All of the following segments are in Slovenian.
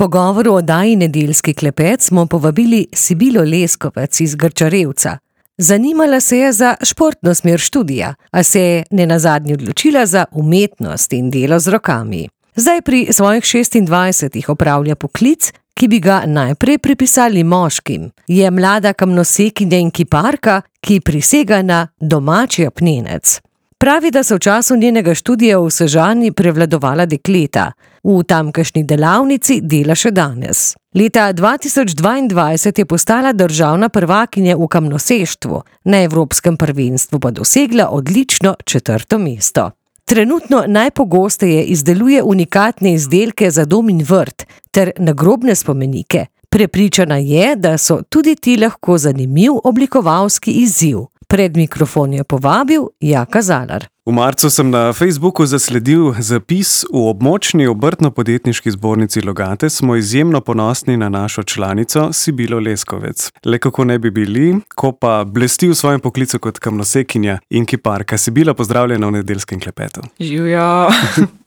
pogovor o oddaji Nedeljski klepet smo povabili Sibilo Leskovec iz Grčarevca. Zanimala se je za športno smer študija, a se je nenazadnje odločila za umetnost in delo z rokami. Zdaj pri svojih 26 opravlja poklic, ki bi ga najprej pripisali moškim. Je mlada kamnosekinja in kiparka, ki prisega na domači apnenec. Pravi, da so v času njenega študija v Sežani prevladovala dekleta. V tamkajšnji delavnici dela še danes. Leta 2022 je postala državna prvakinja v kamnoseštvu, na evropskem prvenstvu pa dosegla odlično 4. mesto. Trenutno najpogosteje izdeluje unikatne izdelke za dom in vrt ter nagrobne spomenike. Prepričana je, da so tudi ti lahko zanimiv oblikovalski izziv. Pred mikrofon je povabil Jaka Zalar. V marcu sem na Facebooku zasledil zapis: v območni obrtno-podjetniški zbornici Logate smo izjemno ponosni na našo članico Sibilo Leskovec. Le kako ne bi bili, ko pa blesti v svojem poklicu kot kamnosekinja in kiparka. Sibila, pozdravljena v Nedeljskem klepetu. Živjo!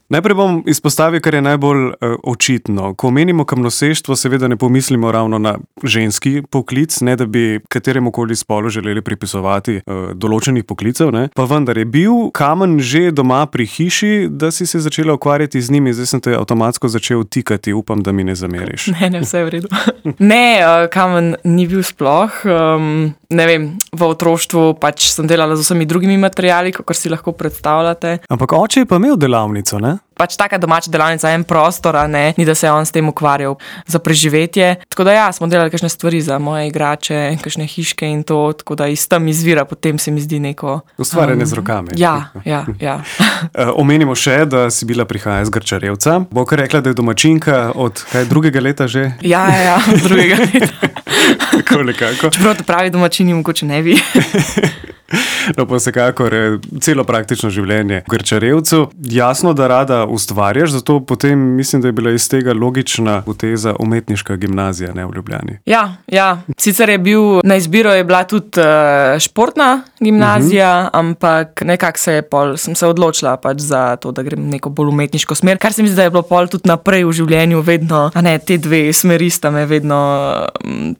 Najprej bom izpostavil, kar je najbolj očitno. Ko omenimo kamnoseštvo, seveda ne pomislimo ravno na ženski poklic, ne da bi kateremukoli spolu želeli pripisovati določenih poklicev, ne. Pa vendar je bil kamen že doma pri hiši, da si se začela ukvarjati z njimi, zdaj sem te avtomatsko začel tikati, upam, da mi ne zameriš. Ne, vse je v redu. Ne, kamen ni bil sploh. Ne vem, v otroštvu pač sem delala z vsemi drugimi materiali, kakor si lahko predstavljate. Ampak oče je pa imel delavnico, ne? Pač taka domača delavnica, en prostor, ne, ni da se je on s tem ukvarjal za preživetje. Tako da ja, smo delali kakšne stvari za moje igrače, kakšne hiške in to, tako da iz tam izvira, potem se mi zdi neko... Ustvarjanje z rokami. Ja. Omenimo še, da Sibila prihaja iz Grčarevca. Bo kar rekla, da je domačinka od 2. leta že? Ja, 2. leta. Tako nekako. Čeprav to pravi domačini, mogoče ne bi. No, pa vsekakor celo praktično življenje v Grčarevcu. Jasno, da rada ustvarjaš, zato potem mislim, da je bila iz tega logična poteza umetniška gimnazija, ne, v Ljubljani. Ja. Sicer je bil, na izbiro je bila tudi športna gimnazija, ampak nekako sem se odločila pač za to, da grem neko bolj umetniško smer, kar se mi zdi, da je bilo pol tudi naprej v življenju vedno, te dve smeri sta me vedno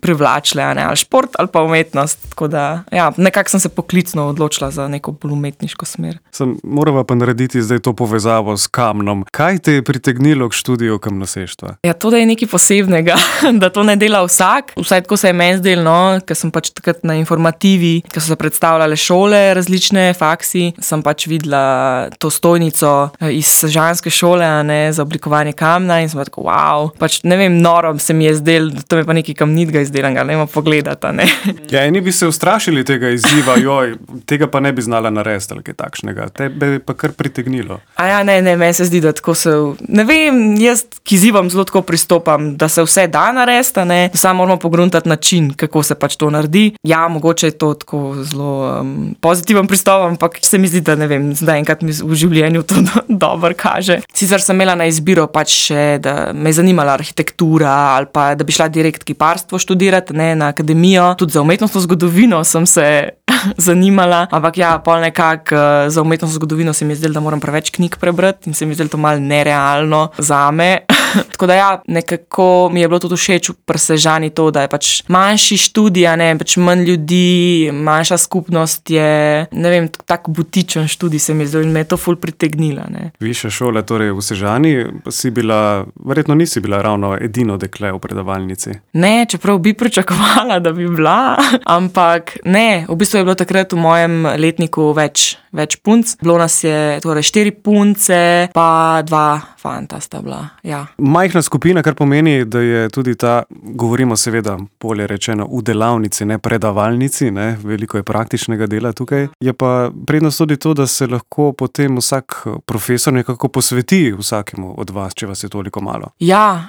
privlačile, ali šport ali pa umetnost, tako da ja, nekako sem se poklicno odločila za neko bolj umetniško smer. Morava pa narediti zdaj to povezavo s kamnom. Kaj te je pritegnilo k študiju kamnoseštva? Ja, to, da je nekaj posebnega, da to ne dela vsak. Vsaj tako se je meni zdelo, no, ker sem pač takrat na informativi, ker so se predstavljale šole, različne faksi, sem pač videla to stojnico iz sežanske šole, za oblikovanje kamna in sem pa tako, wow, pač ne vem, noro se mi je zdelo, da to je pa nekaj kamnitega izdelanga, ne vem pogledati, ne. Ja, eni bi se ustrašili tega izziva, tega pa ne bi znala narediti ali kaj takšnega. Tebe je pa kar pritegnilo. Ne, meni se zdi, da tako se, ne vem, jaz k izzivom zelo tako pristopam, da se vse da narediti, ne, samo moramo pogruntati način, kako se pač to naredi. Ja, mogoče je to tako zelo pozitiven pristop, ampak se mi zdi, da ne vem, zdaj enkrat mi v življenju to dobro kaže. Sicer sem imela na izbiro pač še, da me je zanimala arhitektura ali pa da bi šla direkt kiparstvo študirati, na akademijo. Tudi za umetnostno zgodovino sem se zanimala, ampak ja, pol nekako za umetnostno zgodovino se mi je zdelo, da moram preveč knjig prebrati in se mi je zdelo to malo nerealno zame. Tako da ja, nekako mi je bilo tudi všeč pri Sežani to, da je pač manjši študij, pač manj ljudi, manjša skupnost je, ne vem, tak butičen študij se mi je zdelo in me je to ful pritegnila, ne. Višja šola, torej v Sežani, verjetno nisi bila ravno edino dekle v predavalnici. Ne, čeprav bi pričakovala, da bi bila, ampak ne, v bistvu je bilo takrat v mojem letniku več punc. Bilo nas je torej 4 punce, pa 2 fanta sta bila, ja. Majhna skupina, kar pomeni, da je tudi ta, govorimo seveda, bolje rečeno, v delavnici, ne predavalnici, ne, veliko je praktičnega dela tukaj. Je pa prednost tudi to, da se lahko potem vsak profesor nekako posveti vsakemu od vas, če vas je toliko malo. Ja,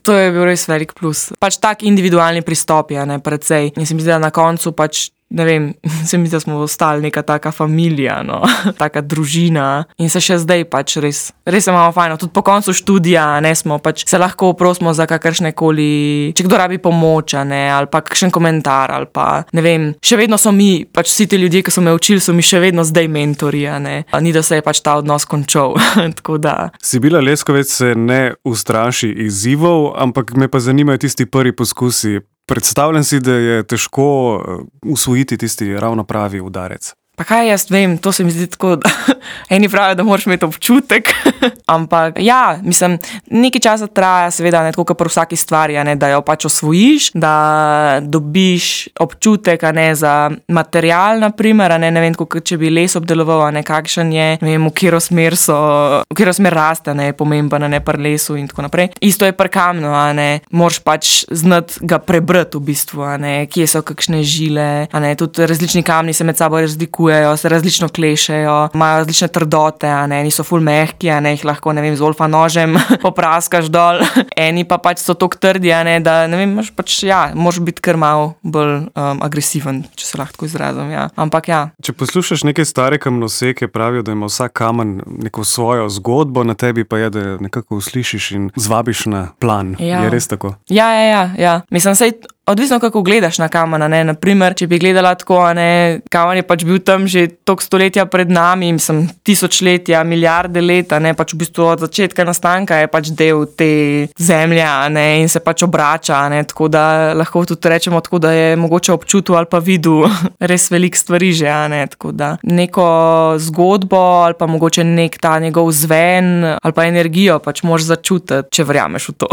to je bil res velik plus. Pač tak individualni pristop je, precej. In se mi zdi, da na koncu pač ne vem, se mi zdi, da smo ostali neka taka familija, no, taka družina in se še zdaj pač res imamo fajno. Tudi po koncu študija, ne, smo pač se lahko prosimo za kakršne koli, če kdo rabi pomoč, ne, ali pa kakšen komentar, ali pa, ne vem, še vedno so mi, pač vsi ti ljudje, ki so me učili, so mi še vedno zdaj mentori, ne. Ni, da se je pač ta odnos končal, tako da. Sibila Leskovec se ne ustraši izzivov, ampak me pa zanimajo tisti prvi poskusi. Predstavljam si, da je težko usvojiti tisti ravno pravi udarec. Pa kaj jaz vem, to se mi zdi tako, da eni pravijo, da moraš imeti občutek, ampak ja, mislim, nekaj časa traja, seveda, ne, tako kot pri vsaki stvari, ne, da jo pač osvojiš, da dobiš občutek, ne, za material, naprimer, ne vem, tako, če bi les obdeloval, ne, kakšen je, ne vem, v katero smer raste, ne, pomemben, ne, pri lesu in tako naprej. Isto je pri kamnu, ne, moraš pač znati ga prebrati v bistvu, ne, kje so kakšne žile, ne, tudi različni kamni se med sabo razlikujejo, se različno klešejo, imajo različne trdote, ne, niso ful mehki, ne, jih lahko, ne vem, z olfa nožem popraskaš dol, eni pa pač so toliko trdi, ne, da, ne vem, moraš biti kar malo bolj agresiven, če se lahko tako izrazim, ja. Ampak ja. Če poslušaš neke stare kamnoseke, pravijo, da ima vsak kamen neko svojo zgodbo, na tebi pa je, da nekako uslišiš in zvabiš na plan. Ja. Je res tako? Ja. Mislim, sej odvisno, kako gledaš na kamen, ne, naprimer, če bi gledala tako, ne, kamen je pač bil tam že toliko stoletja pred nami, mislim, tisočletja, milijarde let, ne, pač v bistvu od začetka nastanka je pač del te zemlje, ne, in se pač obrača, ne, tako da lahko tudi rečemo tako, da je mogoče občutil ali pa videl res veliko stvari že, ne, tako da neko zgodbo ali pa mogoče nek ta njegov zven ali pa energijo pač moraš začutiti, če verjameš v to.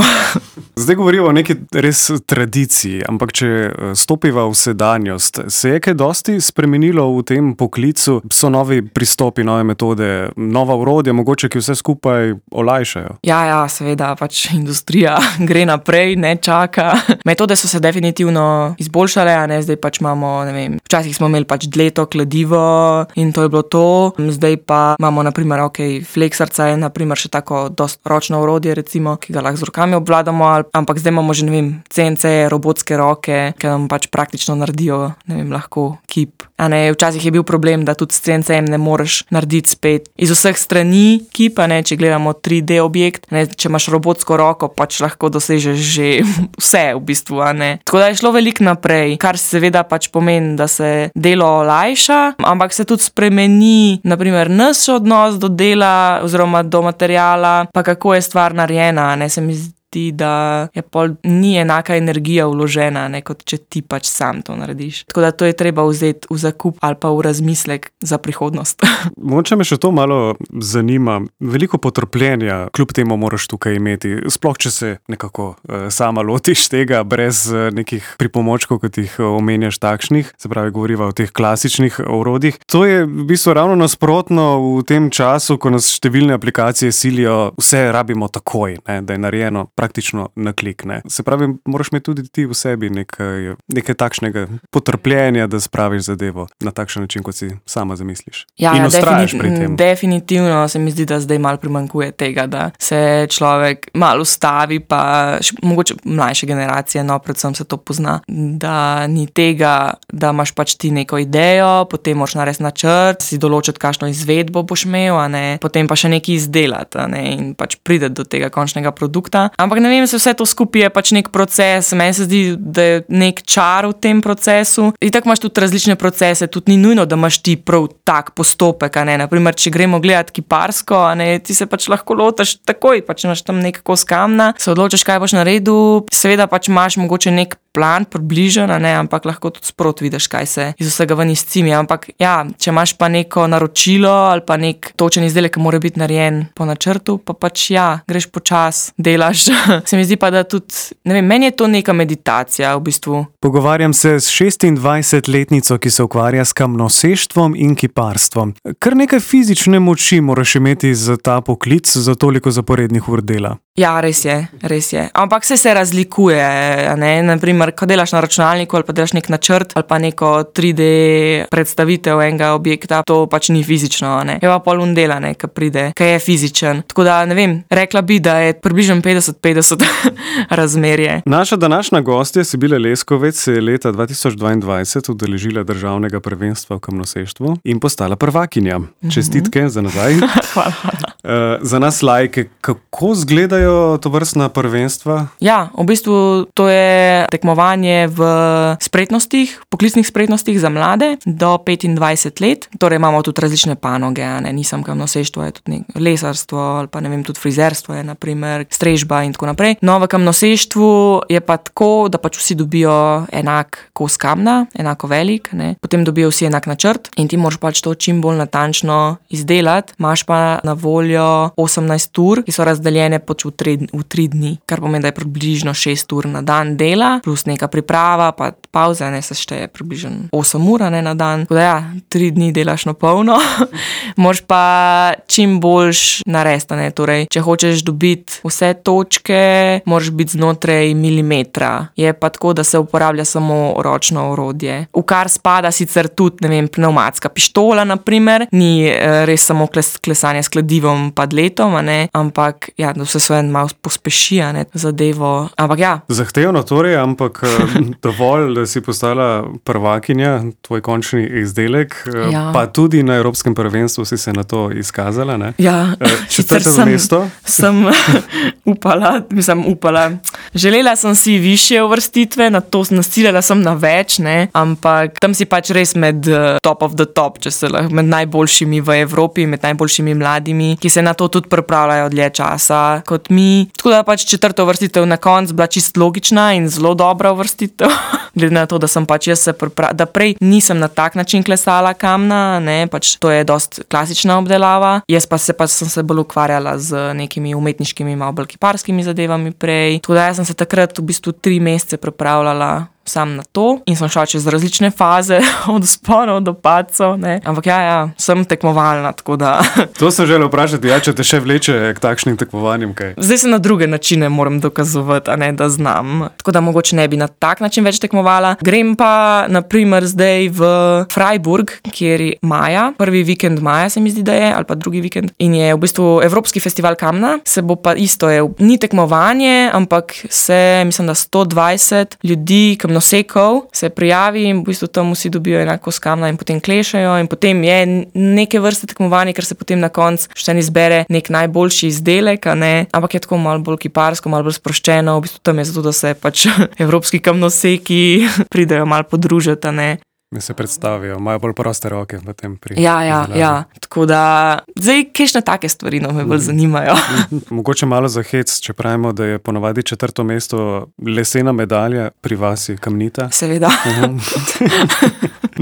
Zdaj govorimo o neki res tradiciji, ampak če stopiva v sedanjost, se je kaj dosti spremenilo v tem poklicu? So novi pristopi, nove metode, nova orodja, mogoče, ki vse skupaj olajšajo? Ja, seveda, pač industrija gre naprej, ne čaka. Metode so se definitivno izboljšale, ne, zdaj pač imamo, ne vem, včasih smo imeli pač dleto, kladivo in to je bilo to. Zdaj pa imamo, naprimer, fleksarca je, naprimer, še tako dost ročno orodje, recimo, ki ga lahko z rokami obvladamo, ampak zdaj imamo že, ne vem, CNC, robotske roke, ki nam pač praktično naredijo, ne vem, lahko kip. A ne, včasih je bil problem, da tudi s CNC-jem ne moreš narediti spet iz vseh strani kipa, ne, če gledamo 3D objekt, ne, če imaš robotsko roko, pač lahko dosežeš že vse v bistvu, a ne. Tako da je šlo veliko naprej, kar seveda pač pomeni, da se delo olajša, ampak se tudi spremeni, naprimer, naš odnos do dela oziroma do materiala, pa kako je stvar narejena, ne, se mi zdi, da je pol ni enaka energija vložena, ne, kot če ti pač sam to narediš. Tako da to je treba vzeti v zakup ali pa v razmislek za prihodnost. Mogoče me še to malo zanima. Veliko potrpljenja kljub temu moraš tukaj imeti, sploh če se nekako sama lotiš tega brez nekih pripomočkov, kot jih omenjaš takšnih, se pravi, govoriva o teh klasičnih orodjih. To je v bistvu ravno nasprotno v tem času, ko nas številne aplikacije silijo, vse rabimo takoj, ne, da je narejeno praktično na klik, ne. Se pravi, moraš imeti tudi ti v sebi nekaj takšnega potrpljenja, da spraviš zadevo na takšen način, kot si sama zamisliš. Ja, in ustrajaš pri tem. Definitivno se mi zdi, da zdaj malo primanjkuje tega, da se človek malo ustavi, pa mogoče mlajše generacije, no, predvsem se to pozna, da ni tega, da imaš pač ti neko idejo, potem moraš narediti načrt, si določiti, kakšno izvedbo boš imel, a ne, potem pa še nekaj izdelati, a ne, in pač prideti do tega končnega produkta. Ampak ne vem, se vse to skupaj je pač nek proces, meni se zdi, da je nek čar v tem procesu. In tako imaš tudi različne procese, tudi ni nujno, da imaš ti prav tak postopek, a ne. Naprimer, če gremo gledati kiparsko, a ne, ti se pač lahko lotaš takoj, pač imaš tam nek kos kamna, se odločiš, kaj boš naredil, seveda pač imaš mogoče nek plan približen, a ne, ampak lahko tudi sproti vidiš, kaj se iz vsega ven izcimi. Ampak ja, če imaš pa neko naročilo ali pa nek točen izdelek, ki mora biti narejen po načrtu, pa pač ja, greš počas, delaš. Se mi zdi pa, da tudi, ne vem, meni je to neka meditacija v bistvu. Pogovarjam se s 26-letnico, ki se ukvarja s kamnoseštvom in kiparstvom. Kar nekaj fizične moči moraš imeti za ta poklic, za toliko zaporednih ur dela. Ja, res je. Ampak se razlikuje, ne? Naprimer, ko delaš na računalniku ali pa delaš nek načrt ali pa neko 3D predstavitev enega objekta, to pač ni fizično, ne? Je pa pol dela, ne, ki pride, ki je fizičen. Tako da, ne vem, rekla bi, da je približno 50-50 razmerje. Naša današnja gostja Sibila Leskovec se je leta 2022 udeležila državnega prvenstva v kamnoseštvu in postala prvakinja. Čestitke za nazaj. Hvala. Za nas lajke, kako izgledajo tovrstna prvenstva? Ja, v bistvu to je tekmovanje v spretnostih, poklicnih spretnostih za mlade do 25 let. Torej imamo tudi različne panoge, ne, nisem kamnoseštvo, je tudi lesarstvo ali pa ne vem, tudi frizerstvo je naprimer, strežba in tako naprej. No, v kamnoseštvu je pa tako, da pač vsi dobijo enak kos kamna, enako velik, ne. Potem dobijo vsi enak načrt in ti moraš pač to čim bolj natančno izdelati. Imaš pa na voljo 18 ur, ki so razdeljene pač v 3 dni, kar pomeni, da je približno 6 ur na dan dela, plus neka priprava, pa pauza, ne, se šteje približno 8 ur, ne, na dan. Tako da ja, 3 dni delaš na polno. Moraš pa čim boljš narediti, ne, torej, če hočeš dobiti vse točke, moraš biti znotraj milimetra. Je pa tako, da se uporablja samo ročno orodje. V kar spada sicer tudi, ne vem, pnevmatska pištola, naprimer, ni res samo klesanje s kladivom pa dletom, ne, ampak ja, da vse svoje malo pospeši, ne, zadevo. Ampak ja. Zahtevno torej, ampak dovolj, da si postala prvakinja, tvoj končni izdelek, Ja. Pa tudi na Evropskem prvenstvu si se na to izkazala, ne? Ja, Četrto mesto. Sem upala. Želela sem si višje uvrstitve, na to nasiljala sem na več, ne, ampak tam si pač res med top of the top, če se lahko, med najboljšimi v Evropi, med najboljšimi mladimi, ki se na to tudi pripravljajo dlje časa kot mi. Tako da pač četrta uvrstitev na koncu bila čisto logična in zelo dobra uvrstitev. Glede na to, da sem pač jaz da prej nisem na tak način klesala kamna, ne, pač to je dost klasična obdelava. Jaz pa sem se bolj ukvarjala z nekimi umetniškimi, malo bolj kiparskimi zadevami prej. Tako da jaz sem se takrat v bistvu 3 mesece pripravljala sam na to in sem šla čez različne faze, od vzponov do padcev, ne. Ampak ja, sem tekmovalna, tako da. To sem želel vprašati, ja, če te še vleče k takšnim tekmovanjem, kaj? Zdaj se na druge načine moram dokazovati, a ne, da znam. Tako da mogoče ne bi na tak način več tekmovala. Grem pa, naprimer, zdaj v Freiburg, kjer je maja, prvi vikend maja se mi zdi, da je, ali pa drugi vikend. In je v bistvu Evropski festival kamna, se bo pa isto, ni tekmovanje, ampak mislim, da 120 ljudi, nosekov se prijavi in v bistvu tam vsi dobijo enako s kamna in potem klešajo in potem je neke vrste tekmovanje, ker se potem na koncu še ne izbere nek najboljši izdelek, a ne, ampak je tako malo bolj kiparsko, malo bolj sproščeno, v bistvu tam je zato, da se pač evropski kamnoseki pridejo malo podružiti, a ne. Da se predstavijo, imajo bolj proste roke v tem pri. Ja. Tako da, zdaj, kakšne take stvari me bolj zanimajo. Mogoče malo za hec, če pravimo, da je ponavadi 4. mesto lesena medalja, pri vas je kamnita. Seveda.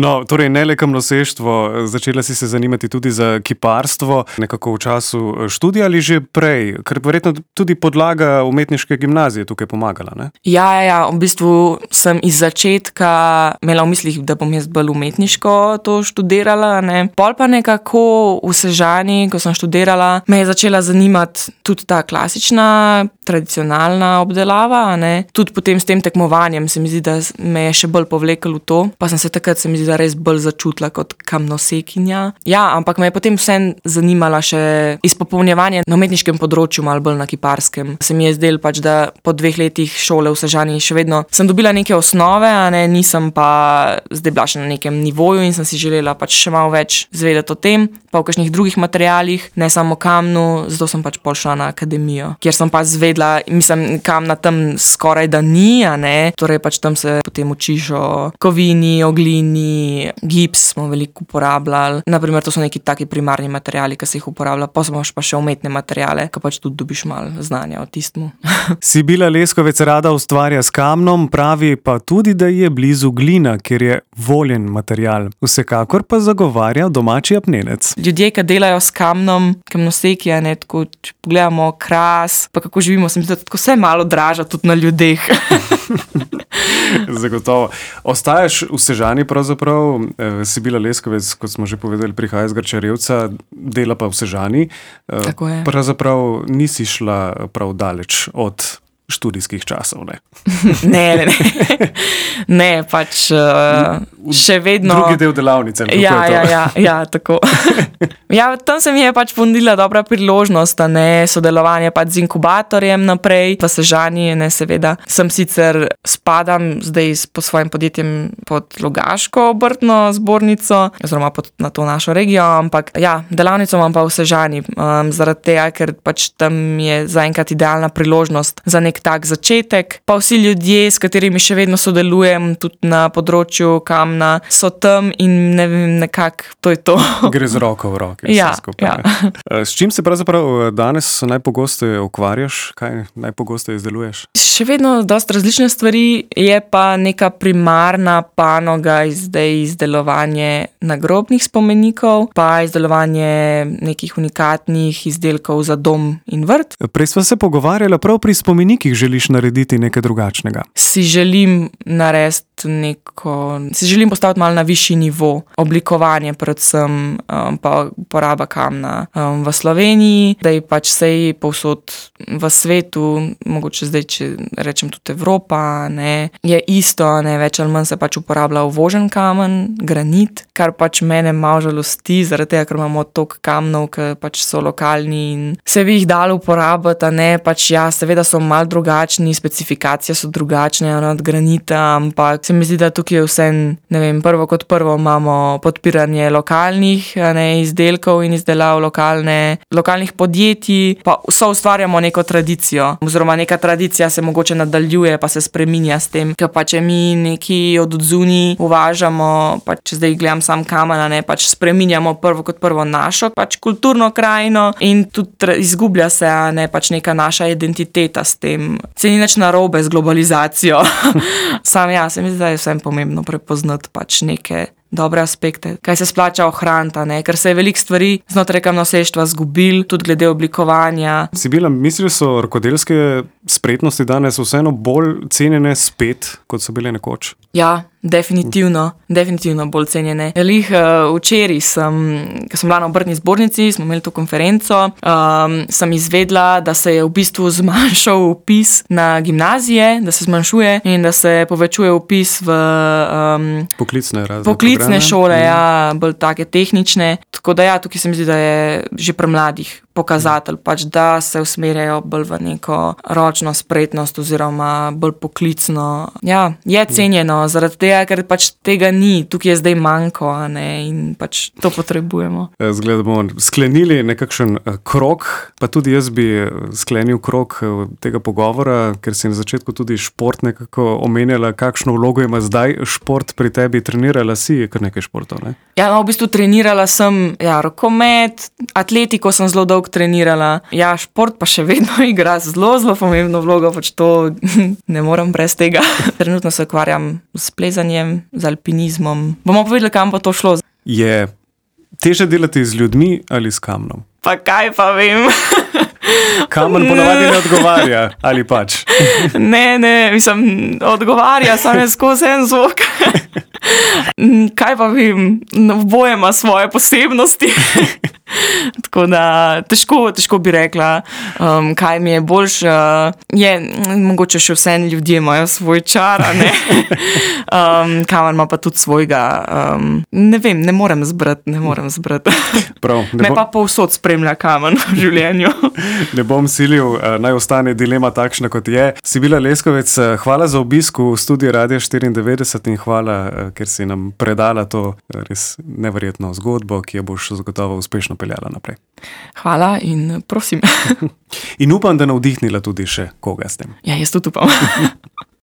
No, torej ne le kamnoseštvo, začela si se zanimati tudi za kiparstvo, nekako v času študija ali že prej, ker verjetno tudi podlaga umetniške gimnazije tukaj pomagala, ne? Ja, v bistvu sem iz začetka imela v mislih, da bom jaz bolj umetniško to študirala, ne. Pol pa nekako v Sežani, ko sem študirala, me je začela zanimati tudi ta klasična, tradicionalna obdelava, ne. Tudi potem s tem tekmovanjem se mi zdi, da me je še bolj povlekel v to, pa sem se takrat, se mi zdi, da res bolj začutila kot kamnosekinja. Ja, ampak me je potem vseeno zanimala še izpopolnjevanje na umetniškem področju, malo bolj na kiparskem. Se mi je zdelo pač, da po 2 letih šole v Sežani še vedno sem dobila neke osnove, a ne, nisem pa zdaj bila še na nekem nivoju in sem si želela pač še malo več zvedeti o tem, pa v kakšnih drugih materialih, ne samo kamnu, zato sem pač pol šla na akademijo, kjer sem pa zvedla, mislim, kamna tam skoraj da ni, a ne, torej pač tam se potem učiš o kovini, o glini, gips smo veliko uporabljali, naprimer to so neki taki primarni materiali, ki se jih uporablja, pa imaš pa še umetne materiale, ki pač tudi dobiš malo znanja o tistmu. Sibila Leskovec rada ustvarja s kamnom, pravi pa tudi, da je blizu glina, ker je voljen material. Vsekakor pa zagovarja domači apnenec. Ljudje, ki delajo s kamnom, kamnoseki, a ne, tako, če pogledamo Kras, pa kako živimo, se mi zdi, da tako vse malo draža tudi na ljudeh. Zagotovo. Ostajaš v Sežani pravzaprav, Sibila Leskovec, kot smo že povedali, prihaja iz Grčarevca, dela pa v Sežani. Tako je. Pravzaprav nisi šla prav daleč od študijskih časov, ne? Ne. Ne, pač še vedno. Drugi del delavnice. Ja, tako. Ja, tam se mi je pač ponudila dobra priložnost, sodelovanje pač z inkubatorjem naprej, v Sežani, seveda. Sem sicer spadam zdaj po svojim podjetjem pod Logaško obrtno zbornico, oziroma na to našo regijo, ampak ja, delavnico imam pa v Sežani, zaradi tega, ker pač tam je zaenkrat idealna priložnost za nek tak začetek. Pa vsi ljudje, s katerimi še vedno sodelujem, tudi na področju kamna, so tam in ne vem, nekako to je to. Gre z roko v roki. Ja. S čim se pravzaprav danes najpogosteje ukvarjaš? Kaj najpogosteje izdeluješ? Še vedno dosti različne stvari, je pa neka primarna panoga izdelovanje nagrobnih spomenikov, pa izdelovanje nekih unikatnih izdelkov za dom in vrt. Prej sva se pogovarjala, prav pri spomenikih želiš narediti nekaj drugačnega. Si želim postaviti malo na višji nivo, oblikovanje predvsem, pa uporaba kamna v Sloveniji, da je pač sej povsod v svetu, mogoče zdaj, če rečem tudi Evropa, je isto, več ali manj se pač uporablja uvožen kamen, granit, kar pač mene malo žalosti, zaradi tega, ker imamo toliko kamnov, ki pač so lokalni in se bi jih dalo uporabiti, pač ja, seveda so malo drugačni, specifikacije so drugačne od granita, ampak se mi zdi, da tukaj je vse, prvo kot prvo imamo podpiranje lokalnih izdelkov in izdelav lokalnih podjetij, pa ustvarjamo neko tradicijo, oziroma neka tradicija se mogoče nadaljuje, pa se spreminja s tem, ker pač mi neki od odzuni uvažamo, pač če zdaj gledam sam kamen, pač spreminjamo prvo kot prvo našo pač kulturno krajino in tudi izgublja se pač neka naša identiteta s tem. Se ni nič narobe z globalizacijo. Sam se mi zdi, da je vsem pomembno prepoznati pač neke dobre aspekte, kaj se splača ohraniti, ker se je veliko stvari znotraj kamnoseštva zgubil, tudi glede oblikovanja. Sibila, misliš, so rokodelske spretnosti danes vseeno bolj cenjene spet, kot so bile nekoč? Ja, definitivno bolj cenjene. Včeraj ko sem bila na obrtni zbornici, smo imeli to konferenco, sem izvedla, da se je v bistvu zmanjšal vpis na gimnazije, da se zmanjšuje in da se povečuje vpis v poklicne šole, bolj take tehnične. Tako da tukaj se mi zdi, da je že pri mladih pokazatelj, pač da se usmerjajo bolj v neko ročno spretnost oziroma bolj poklicno. Ja, je cenjeno zaradi tega, ker pač tega ni, tukaj je zdaj manjko, in pač to potrebujemo. Zgleda, bomo sklenili nekakšen krog, pa tudi jaz bi sklenil krog tega pogovora, ker si na začetku tudi šport nekako omenjala, kakšno vlogo ima zdaj šport pri tebi. Trenirala si kar nekaj športov, ne? Ja, v bistvu trenirala sem rokomet, atletiko sem zelo dolgo trenirala. Ja, šport pa še vedno igra zelo pomembno vlogo, pač to ne morem brez tega. Trenutno se ukvarjam s plezanjem, z alpinizmom. Bomo povedali, kam pa to šlo. Je težje delati z ljudmi ali s kamnom? Pa kaj pa vem. Kamen ponavadi ne odgovarja, ali pač? Ne, mislim, odgovarja, samo je skozi en zvok. Kaj pa vem, oboje ima svoje posebnosti. Tako da težko bi rekla, kaj mi je boljše. Mogoče še vse ljudje imajo svoj čar, kamen ima pa tudi svojega. Ne vem, ne morem zbrati. Me pa povsod spremlja kamen v življenju. Ne bom silil, naj ostane dilema takšna, kot je. Sibila Leskovec, hvala za obisk v studiu Radia 94 in hvala, ker si nam predala to res neverjetno zgodbo, ki jo boš zagotovo uspešno peljala naprej. Hvala in prosim. In upam, da navdihnila tudi še koga s tem. Ja, jaz tudi upam.